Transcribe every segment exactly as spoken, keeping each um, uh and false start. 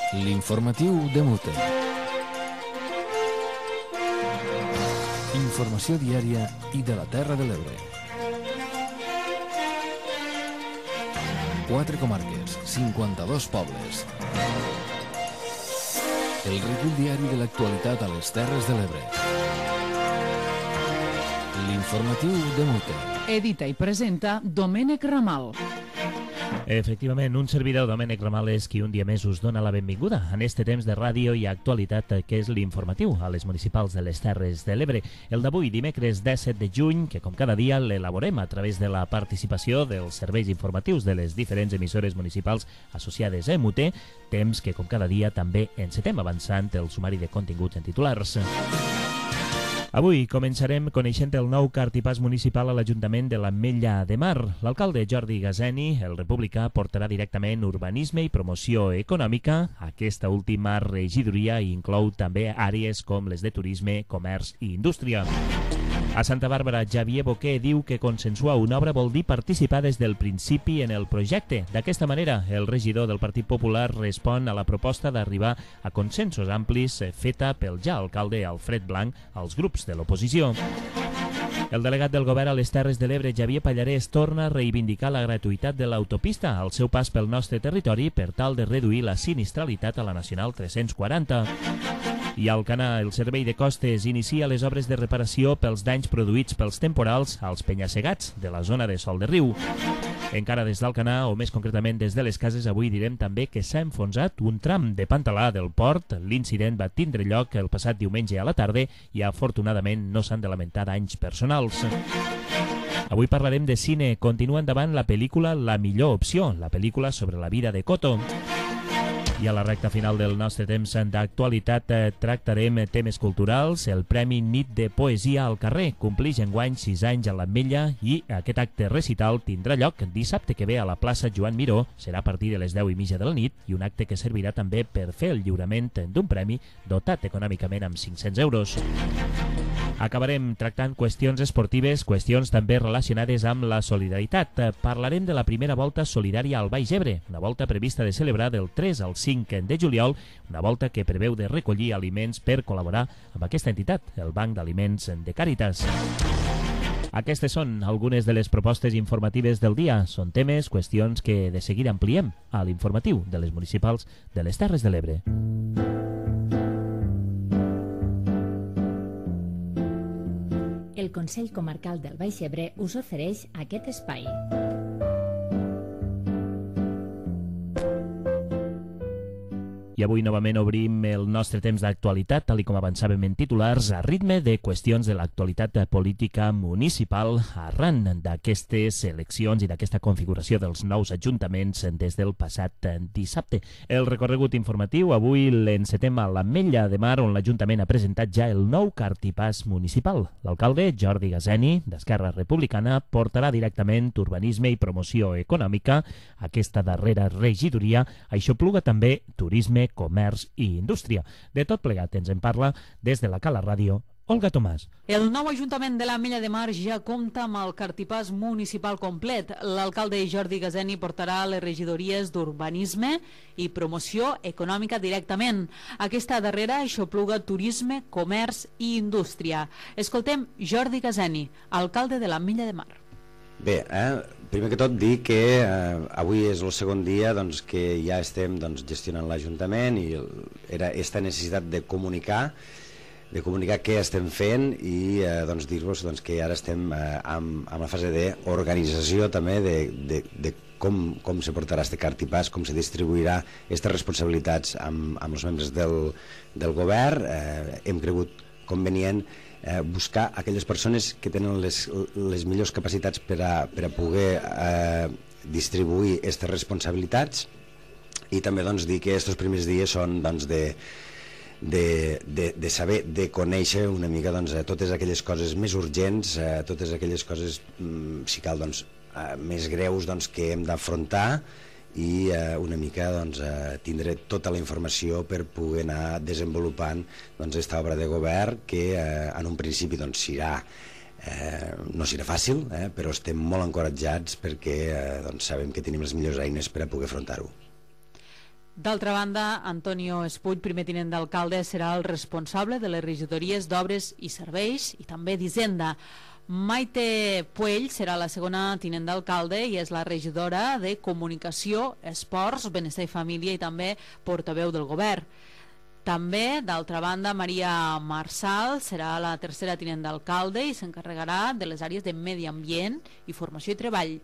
L'informatiu de Mute. Informació diària i de la Terra de l'Ebre. Quatre comarques, cinquanta-dos pobles. El recull diari de l'actualitat a les Terres de l'Ebre. L'informatiu de Mute. Edita i presenta Domènec Ramal. Efectivament, un servidor, Domènec Ramal, és qui un dia més us dona la benvinguda en este temps de ràdio i actualitat que és l'informatiu a les municipals de les Terres de l'Ebre. El d'avui, dimecres disset de juny, que com cada dia l'elaborem a través de la participació dels serveis informatius de les diferents emissores municipals associades a Mute, temps que com cada dia també encetem avançant el sumari de continguts en titulars. Avui començarem coneixent el nou cartipàs municipal a l'Ajuntament de l'Ametlla de Mar. L'alcalde Jordi Gazeni, el republicà, portarà directament urbanisme i promoció econòmica. Aquesta última regidoria inclou també àrees com les de turisme, comerç i indústria. A Santa Bàrbara, Xavier Boquer diu que consensuar una obra vol dir participar des del principi en el projecte. D'aquesta manera, el regidor del Partit Popular respon a la proposta d'arribar a consensos amplis feta pel ja alcalde Alfred Blanc als grups de l'oposició. El delegat del govern a les Terres de l'Ebre, Xavier Pallarès, torna a reivindicar la gratuïtat de l'autopista al seu pas pel nostre territori per tal de reduir la sinistralitat a la Nacional tres-cents quaranta. I a Alcanar, el Servei de Costes inicia les obres de reparació pels danys produïts pels temporals als penya-segats de la zona de Sol de Riu. Encara des d'Alcanar, o més concretament des de les cases, avui direm també que s'ha enfonsat un tram de Pantalà del port. L'incident va tindre lloc el passat diumenge a la tarda i afortunadament no s'han de lamentar danys personals. Avui parlarem de cine. Continua endavant la pel·lícula La millor opció, la pel·lícula sobre la vida de Coto. I a la recta final del nostre temps d'actualitat eh, tractarem temes culturals. El Premi Nit de Poesia al Carrer complix enguany sis anys a l'Ametlla i aquest acte recital tindrà lloc dissabte que ve a la plaça Joan Miró. Serà a partir de les deu i mitja de la nit i un acte que servirà també per fer el lliurament d'un premi dotat econòmicament amb cinc-cents euros. Acabarem tractant qüestions esportives, qüestions també relacionades amb la solidaritat. Parlarem de la primera volta solidària al Baix Ebre, una volta prevista de celebrar del tres al cinc de juliol, una volta que preveu de recollir aliments per col·laborar amb aquesta entitat, el Banc d'Aliments de Càritas. Aquestes són algunes de les propostes informatives del dia. Són temes, qüestions que de seguida ampliem a l'informatiu de les municipals de les Terres de l'Ebre. El Consell Comarcal del Baix Ebre us ofereix aquest espai. I avui novament obrim el nostre temps d'actualitat, tal com avançàvem en titulars, a ritme de qüestions de l'actualitat política municipal arran d'aquestes eleccions i d'aquesta configuració dels nous ajuntaments des del passat dissabte. El recorregut informatiu avui l'encetem a l'Ametlla de Mar, on l'Ajuntament ha presentat ja el nou cartipàs municipal. L'alcalde, Jordi Gazeni, d'Esquerra Republicana, portarà directament urbanisme i promoció econòmica. Aquesta darrera regidoria aixopluga també turisme, comerç i indústria. De tot plegat ens en parla des de la Cala Ràdio, Olga Tomàs. El nou Ajuntament de l'Ametlla de Mar ja compta amb el cartipàs municipal complet. L'alcalde Jordi Gazeni portarà les regidories d'urbanisme i promoció econòmica directament. Aquesta darrera aixopluga turisme, comerç i indústria. Escoltem Jordi Gazeni, alcalde de l'Ametlla de Mar. Bé, eh, primer que tot dir que eh, avui és el segon dia doncs, que ja estem doncs, gestionant l'Ajuntament i era aquesta necessitat de comunicar de comunicar què estem fent i eh, doncs, dir-vos doncs, que ara estem eh, amb, amb la fase d'organització també de, de, de com, com se portarà este cartipàs, com se distribuirà aquestes responsabilitats amb, amb els membres del, del govern. Eh, hem cregut convenient Eh, buscar aquelles persones que tenen les, les millors capacitats per a, per a poder eh, distribuir aquestes responsabilitats i també doncs, dir que aquests primers dies són doncs, de, de, de, de saber, de conèixer una mica doncs, totes aquelles coses més urgents, eh, totes aquelles coses, mm, si cal, doncs, eh, més greus doncs, que hem d'afrontar i eh, una mica doncs, eh, tindré tota la informació per poder anar desenvolupant doncs, aquesta obra de govern que eh, en un principi doncs, serà, eh, no serà fàcil, eh, però estem molt encoratjats perquè eh, doncs, sabem que tenim les millors eines per a poder afrontar-ho. D'altra banda, Antonio Espuig, primer tinent d'alcalde, serà el responsable de les regidories d'Obres i Serveis i també d'Hisenda. Maite Puell serà la segona tinent d'alcalde i és la regidora de Comunicació, Esports, Benestar i Família i també portaveu del govern. També, d'altra banda, Maria Marsal serà la tercera tinent d'alcalde i s'encarregarà de les àrees de Medi Ambient i Formació i Treball.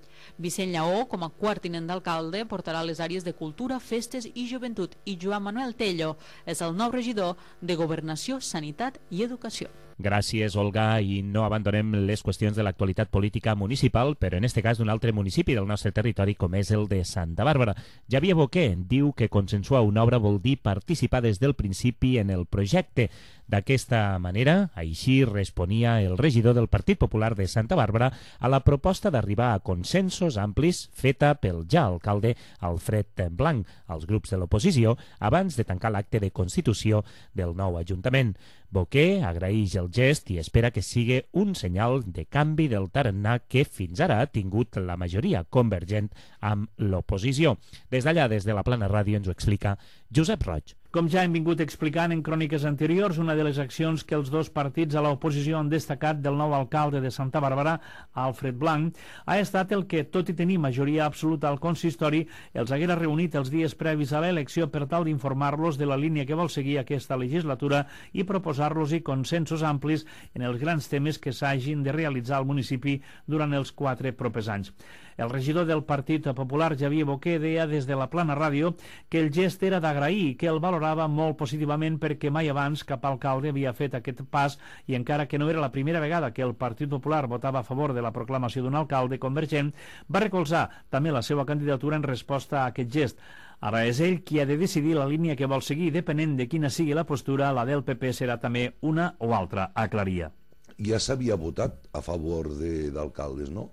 Vicent Lleó, com a quart tinent d'alcalde, portarà les àrees de Cultura, Festes i Joventut i Joan Manuel Tello és el nou regidor de Governació, Sanitat i Educació. Gràcies, Olga, i no abandonem les qüestions de l'actualitat política municipal, però en este cas d'un altre municipi del nostre territori, com és el de Santa Bàrbara. Javier Boquer diu que consensuar una obra vol dir participar des del principi en el projecte. D'aquesta manera, així responia el regidor del Partit Popular de Santa Bàrbara a la proposta d'arribar a consensos amplis feta pel ja alcalde Alfred Blanc als grups de l'oposició abans de tancar l'acte de constitució del nou Ajuntament. Boquer agraeix el gest i espera que sigui un senyal de canvi del tarannà que fins ara ha tingut la majoria convergent amb l'oposició. Des d'allà, des de la Plana Ràdio, ens ho explica Josep Roig. Com ja hem vingut explicant en cròniques anteriors, una de les accions que els dos partits a l'oposició han destacat del nou alcalde de Santa Bàrbara, Alfred Blanc, ha estat el que, tot i tenir majoria absoluta al consistori, els haguera reunit els dies previs a l'elecció per tal d'informar-los de la línia que vol seguir aquesta legislatura i proposar-los-hi consensos amplis en els grans temes que s'hagin de realitzar al municipi durant els quatre propers anys. El regidor del Partit Popular, Javier Boquer, deia des de la Plana Ràdio que el gest era d'agrair i que el valorava molt positivament perquè mai abans cap alcalde havia fet aquest pas i encara que no era la primera vegada que el Partit Popular votava a favor de la proclamació d'un alcalde convergent, va recolzar també la seva candidatura en resposta a aquest gest. Ara és ell qui ha de decidir la línia que vol seguir, depenent de quina sigui la postura, la del P P serà també una o altra, aclaria. Ja s'havia votat a favor d'alcaldes, no?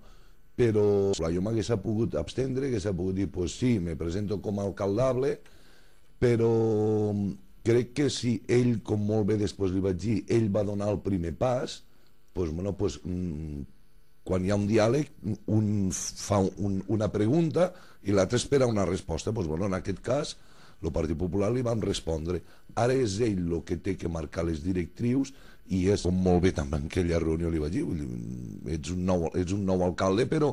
Però jo m'hagués pogut abstendre, hagués pogut dir, pues sí, me presento com a alcaldable, però crec que si ell, com molt bé després li vaig dir, ell va donar el primer pas, pues, bueno, pues, quan hi ha un diàleg, un fa un, una pregunta i l'altre espera una resposta. Pues, bueno, en aquest cas, el Partit Popular li vam respondre. Ara és ell el que té que marcar les directrius i és, com molt bé també en aquella reunió li vaig dir, ets un nou, ets un nou alcalde, però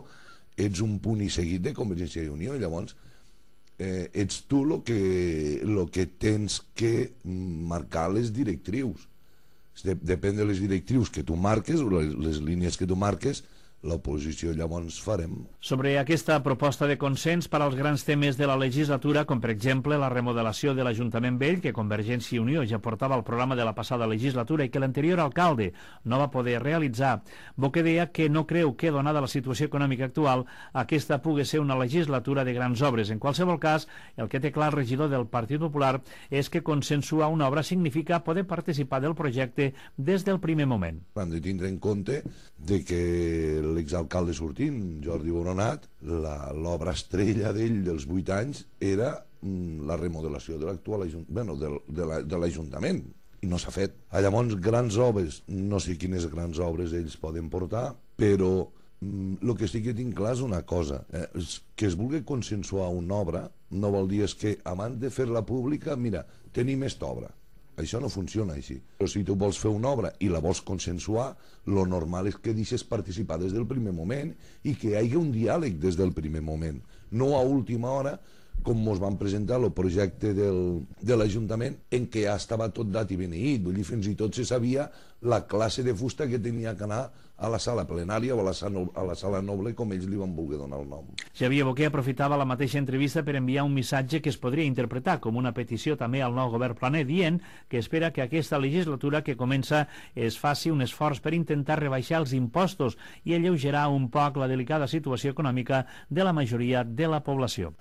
ets un punt i seguit de Convergència i Unió, i llavors eh, ets tu el que, lo que tens que marcar les directrius. Depèn de les directrius que tu marques, les, les línies que tu marques, l'oposició llavors farem. Sobre aquesta proposta de consens per als grans temes de la legislatura, com per exemple la remodelació de l'Ajuntament Vell, que Convergència i Unió ja portava al programa de la passada legislatura i que l'anterior alcalde no va poder realitzar, Boquer deia que no creu que, donada la situació econòmica actual, aquesta pugui ser una legislatura de grans obres. En qualsevol cas, el que té clar el regidor del Partit Popular és que consensuar una obra significa poder participar del projecte des del primer moment. Hem de tindre en compte de que l'exalcalde sortint, Jordi Boronat, l'obra estrella d'ell dels vuit anys era mm, la remodelació de l'actual bueno, de l'Ajuntament, i no s'ha fet. Llavors, grans obres, no sé quines grans obres ells poden portar, però el mm, que sí que tinc clar és una cosa, eh, és que es vulgui consensuar una obra no vol dir és que abans de fer-la pública, mira, tenim esta obra. Això no funciona així. Però si tu vols fer una obra i la vols consensuar, lo normal és que deixes participar des del primer moment i que hi hagi un diàleg des del primer moment. No a última hora, com ens van presentar el projecte del, de l'Ajuntament, en què ja estava tot dat i beneït. Vull dir, fins i tot se sabia la classe de fusta que tenia que anar a la sala plenària o a la sala, a la sala noble, com ells li van voler donar el nom. Javier Boquer aprofitava la mateixa entrevista per enviar un missatge que es podria interpretar com una petició també al nou govern planer, dient que espera que aquesta legislatura que comença es faci un esforç per intentar rebaixar els impostos i alleugerar un poc la delicada situació econòmica de la majoria de la població.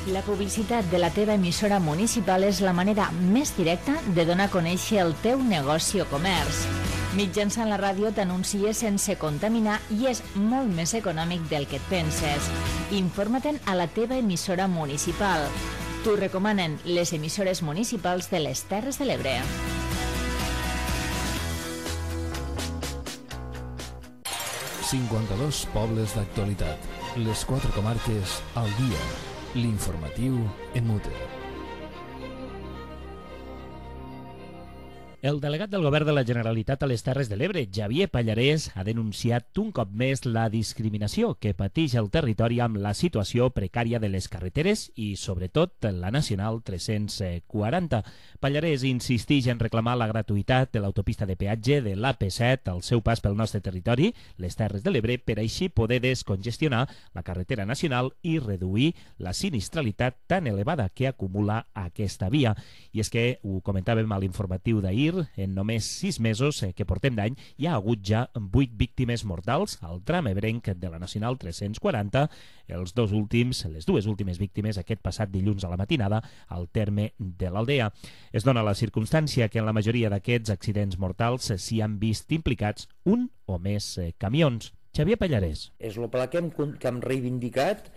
La publicitat de la teva emissora municipal és la manera més directa de donar a conèixer el teu negoci o comerç. Mitjançant la ràdio t'anuncies sense contaminar i és molt més econòmic del que et penses. Informa-te'n a la teva emissora municipal. T'ho recomanen les emissores municipals de les Terres de l'Ebre. cinquanta-dos pobles d'actualitat. Les quatre comarques al dia. L'informatiu en mute. El delegat del Govern de la Generalitat a les Terres de l'Ebre, Xavier Pallarès, ha denunciat un cop més la discriminació que pateix el territori amb la situació precària de les carreteres i, sobretot, la Nacional tres-cents quaranta. Pallarès insisteix en reclamar la gratuïtat de l'autopista de peatge de l'A P set al seu pas pel nostre territori, les Terres de l'Ebre, per així poder descongestionar la carretera nacional i reduir la sinistralitat tan elevada que acumula aquesta via. I és que, ho comentàvem a l'informatiu d'ahir, en només sis mesos que portem d'any hi ha hagut ja vuit víctimes mortals al tram ebrenc de la Nacional tres-cents quaranta, els dos últims, les dues últimes víctimes aquest passat dilluns a la matinada al terme de l'Aldea. Es dona la circumstància que en la majoria d'aquests accidents mortals s'hi han vist implicats un o més camions. Xavier Pallarès. És el pla que hem, que hem reivindicat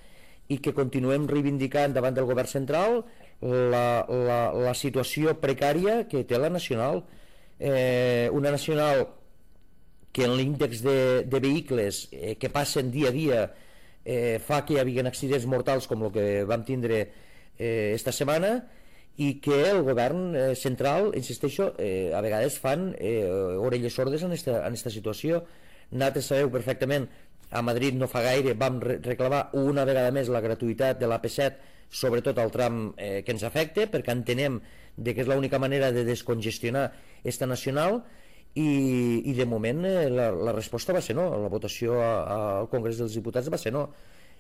i que continuem reivindicant davant del govern central la, la, la situació precària que té la Nacional. Eh, una Nacional que en l'índex de, de vehicles eh, que passen dia a dia eh, fa que hi hagi accidents mortals com el que vam tindre eh, esta setmana i que el govern eh, central, insisteixo, eh, a vegades fan eh, orelles sordes en esta, en esta situació. Nosaltres sabeu perfectament, a Madrid no fa gaire vam reclamar una vegada més la gratuïtat de l'A P set, sobretot al tram eh, que ens afecta, perquè entenem de que és l'única manera de descongestionar esta nacional i, i de moment eh, la, la resposta va ser no, la votació a, a, al Congrés dels Diputats va ser no.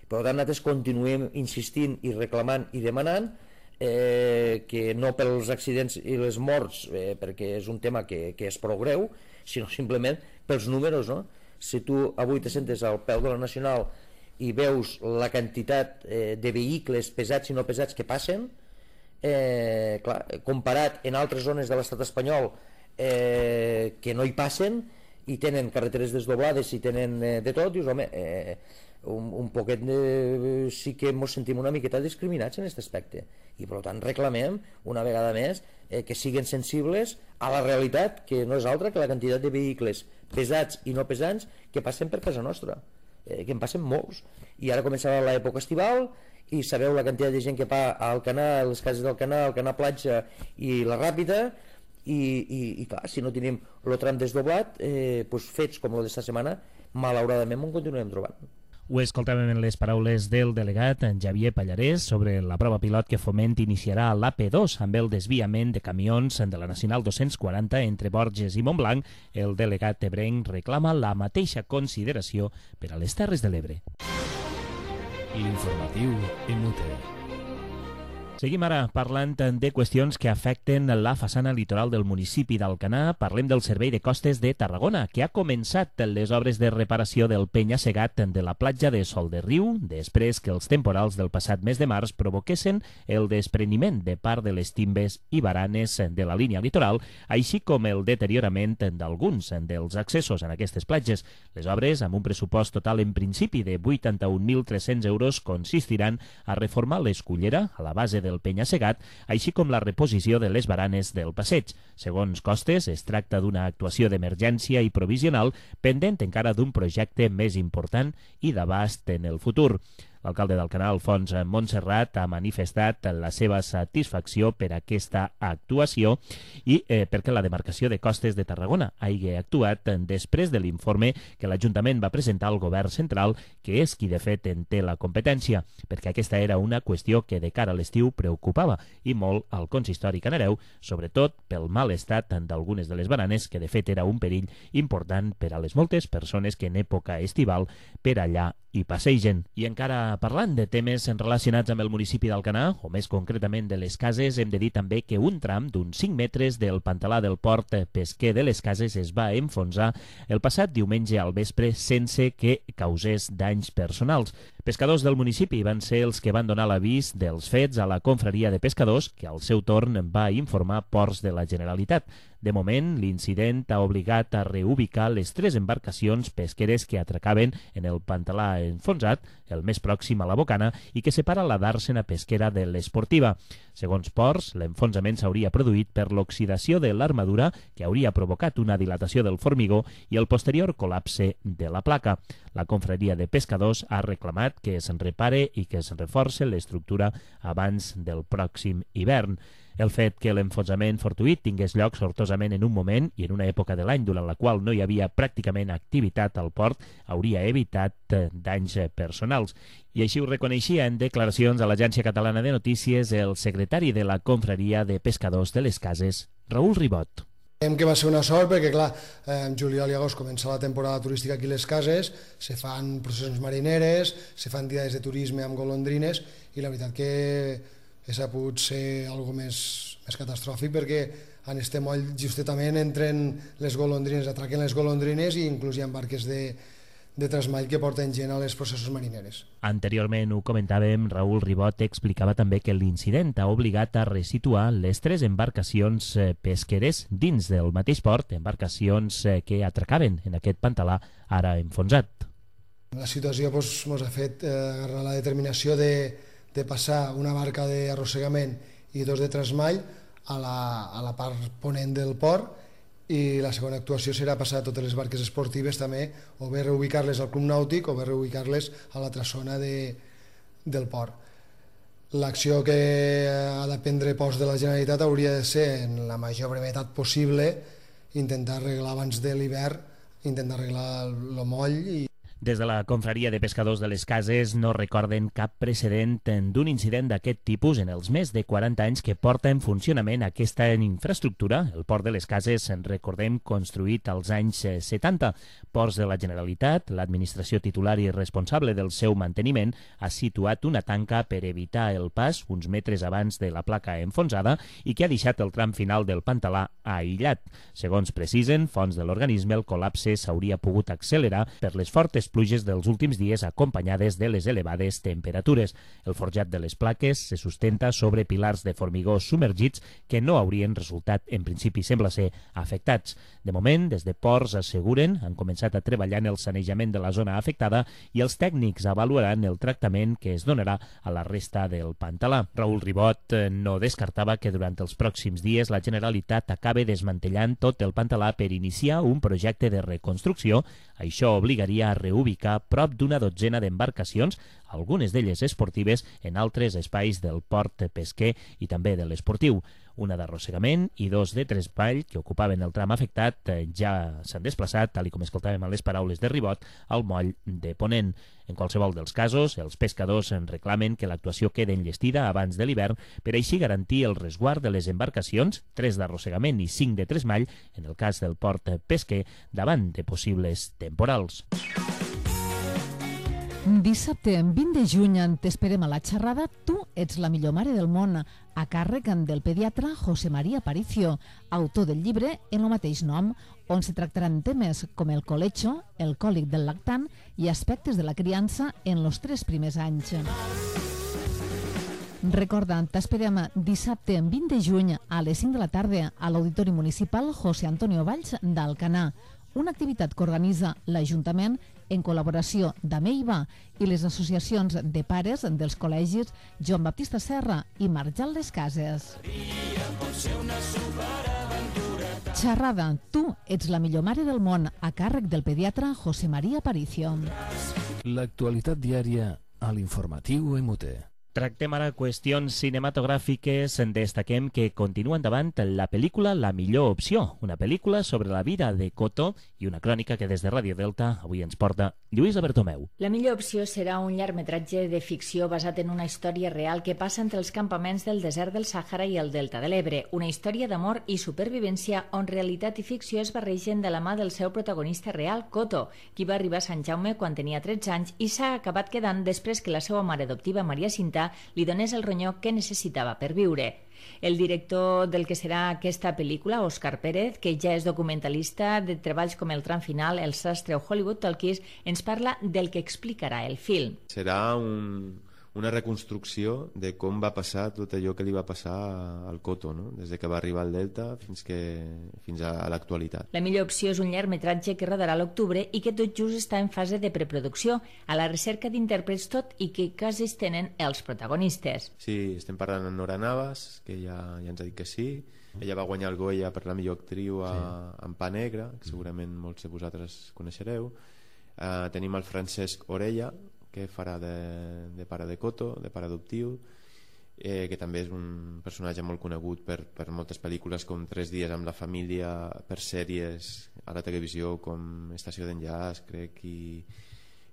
Per tant, nosaltres continuem insistint i reclamant i demanant eh, que no pels accidents i les morts, eh, perquè és un tema que, que és prou greu, sinó simplement pels números, no? Si tu avui te sentes al peu de la Nacional i veus la quantitat eh, de vehicles pesats i no pesats que passen, eh, clar, comparat en altres zones de l'estat espanyol eh, que no hi passen i tenen carreteres desdoblades i tenen eh, de tot, dius, home, eh, un, un poquet de, sí que ens sentim una miqueta discriminats en aquest aspecte i per tant reclamem una vegada més eh, que siguin sensibles a la realitat, que no és altra que la quantitat de vehicles pesats i no pesants que passen per casa nostra, eh, que en passen molts, i ara començarà l'època estival i sabeu la quantitat de gent que va a Alcanar, a les cases d'Alcanar, Alcanar Platja i la Ràpida, i, i, i clar, si no tenim el tram desdoblat, eh, doncs fets com el d'esta setmana, malauradament ho continuem trobant. Ho escoltàvem en les paraules del delegat en Xavier Pallarès sobre la prova pilot que Foment iniciarà a l'A P dos amb el desviament de camions de la Nacional dos-cents quaranta entre Borges i Montblanc. El delegat ebrenc reclama la mateixa consideració per a les Terres de l'Ebre. L'informatiu en mute. Seguim ara parlant de qüestions que afecten la façana litoral del municipi d'Alcanar. Parlem del Servei de Costes de Tarragona, que ha començat les obres de reparació del penya-segat de la platja de Sol de Riu, després que els temporals del passat mes de març provoquessin el despreniment de part de les timbes i baranes de la línia litoral, així com el deteriorament d'alguns dels accessos en aquestes platges. Les obres, amb un pressupost total en principi de vuitanta-un mil tres-cents euros, consistiran a reformar l'escullera a la base del penya-segat, així com la reposició de les baranes del passeig. Segons Costes, es tracta d'una actuació d'emergència i provisional pendent encara d'un projecte més important i d'abast en el futur. L'alcalde d'Alcanar, Alfons Montserrat, ha manifestat la seva satisfacció per aquesta actuació i eh, perquè la demarcació de Costes de Tarragona hagi actuat després de l'informe que l'Ajuntament va presentar al govern central, que és qui de fet en té la competència, perquè aquesta era una qüestió que de cara a l'estiu preocupava i molt al consistori canareu, sobretot pel mal estat d'algunes de les bananes, que de fet era un perill important per a les moltes persones que en època estival per allà hi passegen. I encara parlant de temes relacionats amb el municipi d'Alcanar, o més concretament de les Cases, hem de dir també que un tram d'uns cinc metres del pantalà del port pesquer de les Cases es va enfonsar el passat diumenge al vespre sense que causés danys personals. Pescadors del municipi van ser els que van donar l'avís dels fets a la confraria de pescadors, que al seu torn va informar Ports de la Generalitat. De moment, l'incident ha obligat a reubicar les tres embarcacions pesqueres que atracaven en el pantalà enfonsat, el més pròxim a la bocana, i que separa la dàrsena pesquera de l'esportiva. Segons Ports, l'enfonsament s'hauria produït per l'oxidació de l'armadura, que hauria provocat una dilatació del formigó i el posterior col·lapse de la placa. La confraria de pescadors ha reclamat necessitat que se'n repare i que se'n reforce l'estructura abans del pròxim hivern. El fet que l'enfonsament fortuït tingués lloc sortosament en un moment i en una època de l'any durant la qual no hi havia pràcticament activitat al port hauria evitat danys personals. I així ho reconeixia en declaracions a l'Agència Catalana de Notícies el secretari de la Confraria de Pescadors de les Cases, Raül Ribot. Creiem que va ser una sort perquè, clar, en juliol i agost comença la temporada turística aquí a les cases, se fan processions marineres, se fan diades de turisme amb golondrines i la veritat que ha pogut ser algo més, més catastròfic perquè en este moll justament entren les golondrines, atraquen les golondrines i inclús hi ha barques de, de trasmall que porten gent a les processos marineres. Anteriorment ho comentàvem, Raül Ribot explicava també que l'incident ha obligat a resituar les tres embarcacions pesqueres dins del mateix port, embarcacions que atracaven en aquest pantalà ara enfonsat. La situació ens doncs, ha fet eh, agarrar la determinació de de passar una barca d'arrossegament i dos de trasmall a la, a la part ponent del port i la segona actuació serà passar totes les barques esportives també o bé reubicar-les al club nàutic o bé reubicar-les a l'altra zona de, del port. L'acció que ha de prendre post de la Generalitat hauria de ser en la major brevetat possible intentar arreglar abans de l'hivern, intentar arreglar el moll i Des de la Confraria de Pescadors de les Cases no recorden cap precedent d'un incident d'aquest tipus en els més de quaranta anys que porta en funcionament aquesta infraestructura. El port de les Cases, en recordem, construït als anys setanta. Ports de la Generalitat, l'administració titular i responsable del seu manteniment, ha situat una tanca per evitar el pas uns metres abans de la placa enfonsada i que ha deixat el tram final del pantalà aïllat. Segons precisen fonts de l'organisme, el col·lapse s'hauria pogut accelerar per les fortes pluges dels últims dies acompanyades de les elevades temperatures. El forjat de les plaques se sustenta sobre pilars de formigó submergits que no haurien resultat, en principi sembla ser, afectats. De moment, des de ports asseguren, han començat a treballar en el sanejament de la zona afectada i els tècnics avaluaran el tractament que es donarà a la resta del pantalà. Raül Ribot no descartava que durant els pròxims dies la Generalitat acabe desmantellant tot el pantalà per iniciar un projecte de reconstrucció. Això obligaria a reubicar prop d'una dotzena d'embarcacions, algunes d'elles esportives, en altres espais del port pesquer i també de l'esportiu. Una d'arrossegament i dos de trasmall que ocupaven el tram afectat ja s'han desplaçat, tal com escoltàvem a les paraules de Ribot, al moll de Ponent. En qualsevol dels casos, els pescadors en reclamen que l'actuació quede enllestida abans de l'hivern per així garantir el resguard de les embarcacions, tres d'arrossegament i cinc de trasmall, en el cas del port pesquer, davant de possibles temporals. Dissabte, vint de juny, t'esperem a la xerrada Tu ets la millor mare del món, a càrrec del pediatre José María Aparicio, autor del llibre en el mateix nom, on se tractaran temes com el colecho, el còlic del lactant i aspectes de la criança en els tres primers anys. Recorda, t'esperem dissabte, vint de juny, a les cinc de la tarda, a l'Auditori Municipal José Antonio Valls d'Alcanar, una activitat que organitza l'Ajuntament en col·laboració d'Ameiva i les associacions de pares dels col·legis Joan Baptista Serra i Marjal Les Cases. Xerrada, Tu ets la millor mare del món, a càrrec del pediatre José María Aparicio. L'actualitat diària a l'informatiu M T. Tractem ara qüestions cinematogràfiques. Destaquem que continua endavant la pel·lícula La millor opció, una pel·lícula sobre la vida de Coto i una crònica que des de Ràdio Delta avui ens porta Lluïsa Bertomeu. La millor opció serà un llargmetratge de ficció basat en una història real que passa entre els campaments del desert del Sàhara i el Delta de l'Ebre, una història d'amor i supervivència on realitat i ficció es barregen de la mà del seu protagonista real, Coto, qui va arribar a Sant Jaume quan tenia tretze anys i s'ha acabat quedant després que la seva mare adoptiva, Maria Cinta, li donés el ronyó que necessitava per viure. El director del que serà aquesta pel·lícula, Òscar Pérez, que ja és documentalista de treballs com El tram final, El sastre o Hollywood Talkies, ens parla del que explicarà el film. Serà un, una reconstrucció de com va passar tot allò que li va passar al Coto, no? Des de que va arribar al Delta fins, que, fins a, a l'actualitat. La millor opció és un llargmetratge que rodarà a l'octubre i que tot just està en fase de preproducció, a la recerca d'intèrprets tot i que quasi es tenen els protagonistes. Sí, estem parlant amb Nora Navas, que ja, ja ens ha dit que sí. Ella va guanyar el Goya per la millor actriu a, sí. en Pa Negre, que segurament molts de vosaltres coneixereu. Uh, tenim el Francesc Orella, que farà de, de pare de Coto, de pare adoptiu, eh, que també és un personatge molt conegut per, per moltes pel·lícules com Tres dies amb la família, per sèries a la televisió com Estació d'enllaç, crec, i,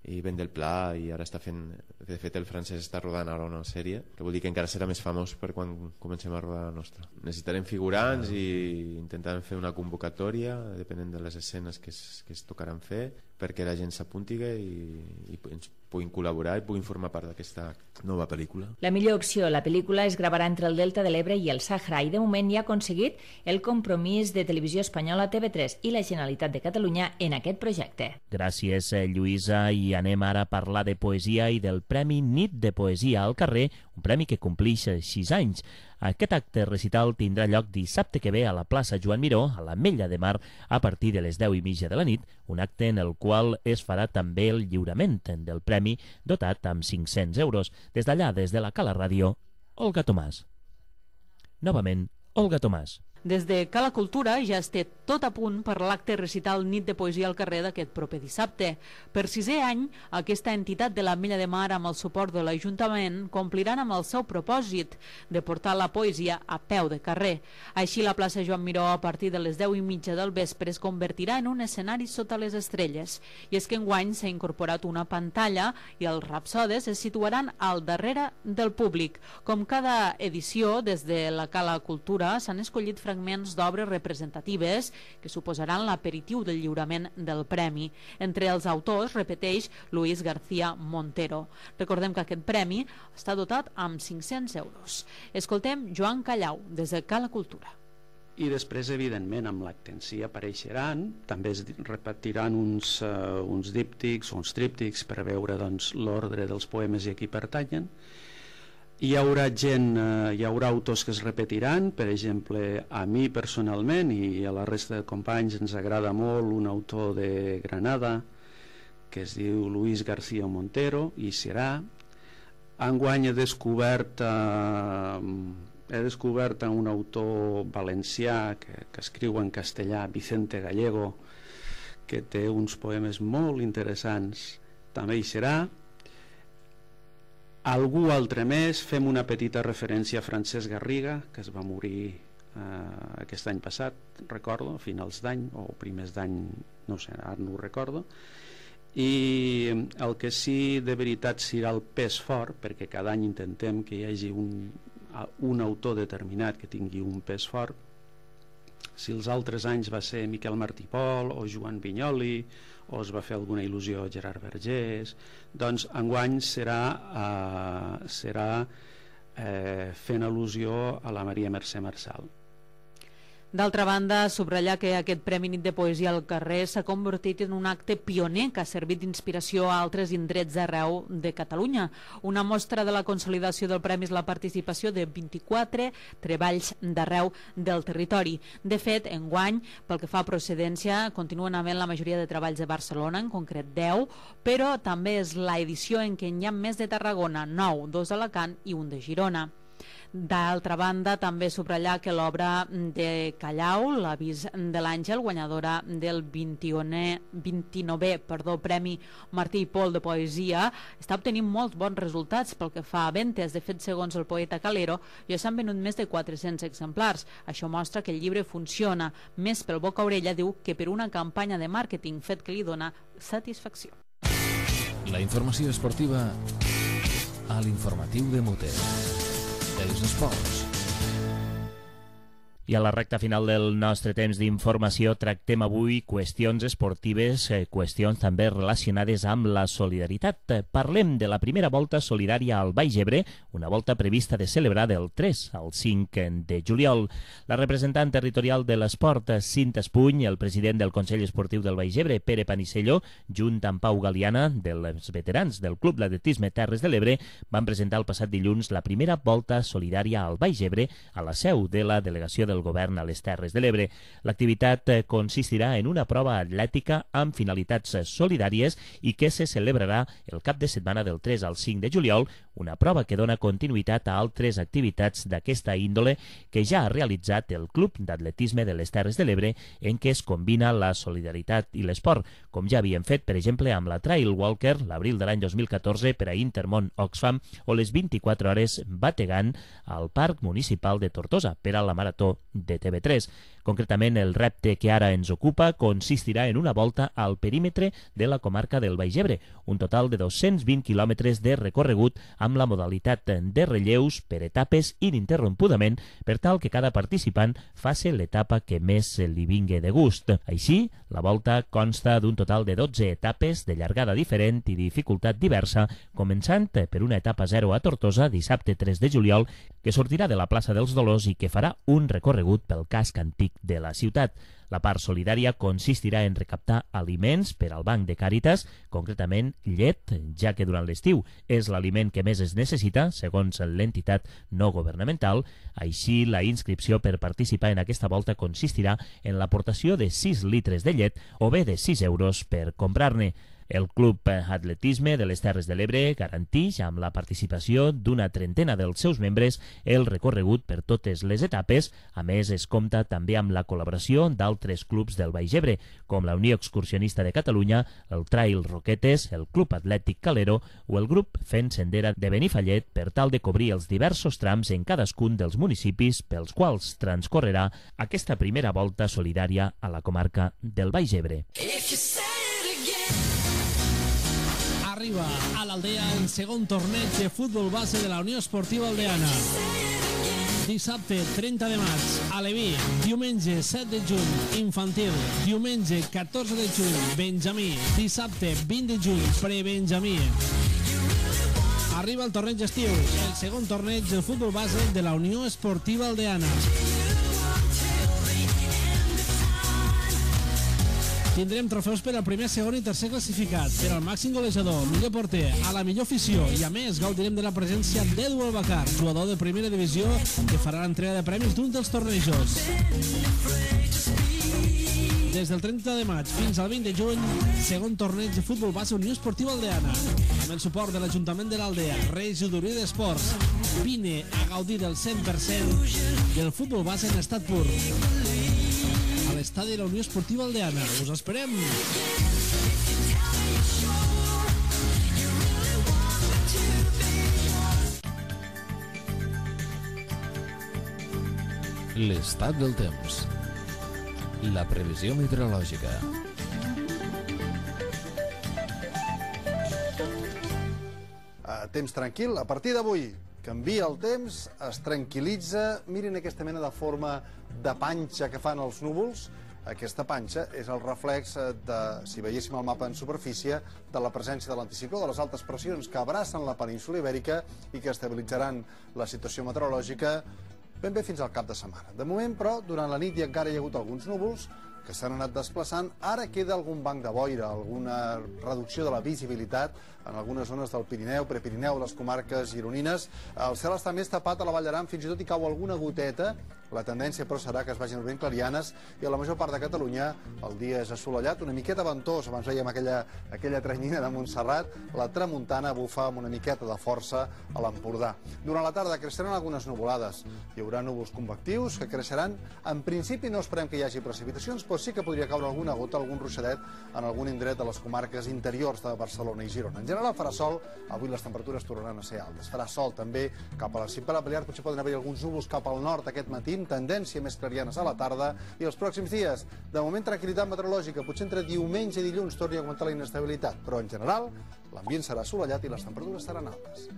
i Ben del Pla, i ara està fent, de fet el francès està rodant ara una sèrie, que vol dir que encara serà més famós per quan comencem a rodar la nostra. Necessitarem figurants i intentarem fer una convocatòria depenent de les escenes que es, que es tocaran fer, perquè la gent s'apunti i, i ens puguin col·laborar i puguin formar part d'aquesta nova pel·lícula. La millor opció, la pel·lícula es gravarà entre el Delta de l'Ebre i el Sàhara i de moment ja ha aconseguit el compromís de Televisió Espanyola, T V tres i la Generalitat de Catalunya en aquest projecte. Gràcies, Lluïsa, i anem ara a parlar de poesia i del Premi Nit de Poesia al Carrer, un premi que complix sis anys. Aquest acte recital tindrà lloc dissabte que ve a la plaça Joan Miró, a l'Ametlla de Mar, a partir de les deu i mitja de la nit, un acte en el qual es farà també el lliurament del premi dotat amb cinc-cents euros. Des d'allà, des de la Cala Ràdio, Olga Tomàs. Novament, Olga Tomàs. Des de Cala Cultura ja es té tot a punt per l'acte recital Nit de Poesia al Carrer d'aquest proper dissabte. Per sisè any, aquesta entitat de l'Ametlla de Mar, amb el suport de l'Ajuntament, compliran amb el seu propòsit de portar la poesia a peu de carrer. Així, la plaça Joan Miró, a partir de les deu i mitja del vespre, es convertirà en un escenari sota les estrelles. I és que enguany s'ha incorporat una pantalla i els rapsodes es situaran al darrere del públic. Com cada edició, des de la Cala Cultura s'han escollit fragments d'obres representatives que suposaran l'aperitiu del lliurament del premi. Entre els autors, repeteix, Luis García Montero. Recordem que aquest premi està dotat amb cinc-cents euros. Escoltem Joan Callau, des de Cala Cultura. I després, evidentment, amb l'acte en si apareixeran, també es repetiran uns, uh, uns díptics o uns tríptics per veure doncs, l'ordre dels poemes i a qui pertanyen. Hi haurà gent, eh, hi haurà autors que es repetiran, per exemple, a mi personalment i a la resta de companys ens agrada molt un autor de Granada que es diu Luis García Montero, i serà. Enguany he descobert, eh, he descobert un autor valencià que, que escriu en castellà, Vicente Gallego, que té uns poemes molt interessants, també hi serà. Algú altre més, fem una petita referència a Francesc Garriga, que es va morir eh, aquest any passat, recordo, a finals d'any o primers d'any, no sé, ara no ho recordo. I el que sí de veritat serà el pes fort, perquè cada any intentem que hi hagi un, un autor determinat que tingui un pes fort. Si els altres anys va ser Miquel Martí Pol o Joan Vinyoli, o es va fer alguna il·lusió a Gerard Vergés, doncs enguany serà, eh, serà eh, fent al·lusió a la Maria Mercè Marçal. D'altra banda, subratllar que aquest Premi Nit de Poesia al Carrer s'ha convertit en un acte pioner que ha servit d'inspiració a altres indrets d'arreu de Catalunya. Una mostra de la consolidació del premi és la participació de vint-i-quatre treballs d'arreu del territori. De fet, enguany, pel que fa a procedència, continuen havent la majoria de treballs de Barcelona, en concret deu, però també és l'edició en què n'hi ha més de Tarragona, nou, dos d'Alacant i un de Girona. D'altra banda, també subratllar que l'obra de Callau, L'avís de l'Àngel, guanyadora del vint-i-novè perdó, Premi Martí i Pol de Poesia, està obtenint molts bons resultats pel que fa a ventes. De fet, segons el poeta Calero, ja s'han venut més de quatre-cents exemplars. Això mostra que el llibre funciona més pel boca a orella, diu, que per una campanya de màrqueting, fet que li dona satisfacció. La informació esportiva a l'informatiu de Mote. Els esports. I a la recta final del nostre temps d'informació tractem avui qüestions esportives, eh, qüestions també relacionades amb la solidaritat. Parlem de la primera volta solidària al Baix Ebre, una volta prevista de celebrar del tres al cinc de juliol. La representant territorial de l'esport, Cinta Espuny, el president del Consell Esportiu del Baix Ebre, Pere Panicello, junt amb Pau Galiana, dels veterans del Club d'Atletisme Terres de l'Ebre, van presentar el passat dilluns la primera volta solidària al Baix Ebre a la seu de la delegació del el govern a les Terres de l'Ebre. L'activitat consistirà en una prova atlètica amb finalitats solidàries i que se celebrarà el cap de setmana del tres al cinc de juliol, una prova que dona continuïtat a altres activitats d'aquesta índole que ja ha realitzat el Club d'Atletisme de les Terres de l'Ebre, en què es combina la solidaritat i l'esport, com ja havien fet, per exemple, amb la Trail Walker l'abril de l'any dos mil catorze per a Intermón Oxfam o les vint-i-quatre hores bategant al Parc Municipal de Tortosa per a la Marató de T V tres. Concretament, el repte que ara ens ocupa consistirà en una volta al perímetre de la comarca del Baix Ebre, un total de dos-cents vint quilòmetres de recorregut amb la modalitat de relleus per etapes ininterrompudament per tal que cada participant faci l'etapa que més li vingui de gust. Així, la volta consta d'un total de dotze etapes de llargada diferent i dificultat diversa, començant per una etapa zero a Tortosa dissabte tres de juliol, que sortirà de la plaça dels Dolors i que farà un recorregut pel casc antic de la ciutat. La part solidària consistirà en recaptar aliments per al Banc de Càritas, concretament llet, ja que durant l'estiu és l'aliment que més es necessita, segons l'entitat no governamental. Així, la inscripció per participar en aquesta volta consistirà en l'aportació de sis litres de llet o bé de sis euros per comprar-ne. El Club Atletisme de les Terres de l'Ebre garanteix, amb la participació d'una trentena dels seus membres, el recorregut per totes les etapes. A més, es compta també amb la col·laboració d'altres clubs del Baix Ebre, com la Unió Excursionista de Catalunya, el Trail Roquetes, el Club Atlètic Calero o el grup Fent Sendera de Benifallet, per tal de cobrir els diversos trams en cadascun dels municipis pels quals transcorrerà aquesta primera volta solidària a la comarca del Baix Ebre. Arriba a l'Aldea el segon torneig de futbol base de la Unió Esportiva Aldeana. Dissabte trenta de maig, Aleví. Diumenge set de juny, infantil. Diumenge catorze de juny, Benjamí. Dissabte vint de juny, pre-Benjamí. Arriba el torneig estiu, el segon torneig de futbol base de la Unió Esportiva Aldeana. Tindrem trofeus per al primer, segon i tercer classificat, per al màxim golejador, millor porter, a la millor afició, i a més gaudirem de la presència d'Edu Albacar, jugador de primera divisió, que farà l'entrega de premis d'un dels tornejos. Des del trenta de maig fins al vint de juny, segon torneig de futbol base Unió Esportiva Aldeana, amb el suport de l'Ajuntament de l'Aldea, Regidoria d'Esports. Vine a gaudir del cent per cent del futbol base en estat pur. A l'estadi de la Unió Esportiva Aldeana. Us esperem! L'estat del temps. La previsió meteorològica. Uh, temps tranquil. A partir d'avui canvia el temps, es tranquil·litza. Mirin aquesta mena de forma de panxa que fan els núvols. Aquesta panxa és el reflex de, si veiéssim el mapa en superfície, de la presència de l'anticicló, de les altes pressions que abracen la península Ibèrica i que estabilitzaran la situació meteorològica ben bé fins al cap de setmana. De moment, però, durant la nit hi encara hi ha hagut alguns núvols que s'han anat desplaçant. Ara queda algun banc de boira, alguna reducció de la visibilitat en algunes zones del Pirineu, Prepirineu, les comarques gironines. El cel està més tapat a la Vall d'Aran, fins i tot hi cau alguna goteta. La tendència, però, serà que es vagin obrint clarianes i a la major part de Catalunya el dia és assolellat, una miqueta ventós. Abans veiem aquella, aquella tranyina de Montserrat. La tramuntana bufa amb una miqueta de força a l'Empordà. Durant la tarda creixeran algunes nuvolades. Hi haurà núvols convectius que creixeran. En principi no esperem que hi hagi precipitacions, però sí que podria caure alguna gota, algun ruixadet en algun indret de les comarques interiors de Barcelona i Girona. En general farà sol, avui les temperatures tornaran a ser altes. Farà sol també cap a la Cimpera Balear, potser poden haver alguns núvols cap al nord aquest matí, amb tendència més clarianes a la tarda, i els pròxims dies, de moment tranquil·litat meteorològica, potser entre diumenge i dilluns torni a augmentar la inestabilitat, però en general l'ambient serà assolellat i les temperatures seran altes.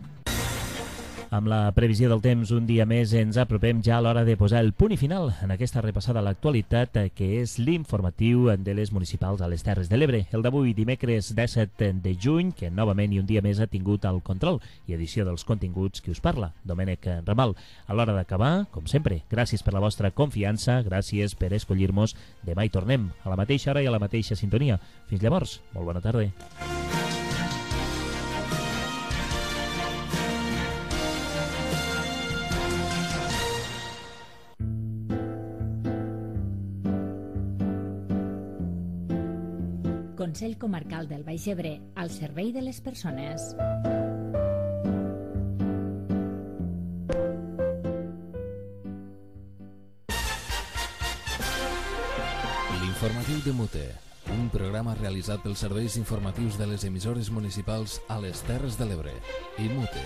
Amb la previsió del temps, un dia més ens apropem ja a l'hora de posar el punt i final en aquesta repassada a l'actualitat, que és l'informatiu de les municipals a les Terres de l'Ebre. El d'avui, dimecres disset de juny, que novament i un dia més ha tingut el control i edició dels continguts que us parla, Domènec Ramal. A l'hora d'acabar, com sempre, gràcies per la vostra confiança, gràcies per escollir-nos. Demà hi tornem, a la mateixa hora i a la mateixa sintonia. Fins llavors, molt bona tarda. Consell Comarcal del Baix Ebre, al servei de les persones. L'informatiu de Mute, un programa realitzat pels serveis informatius de les emissores municipals a les Terres de l'Ebre i Mute.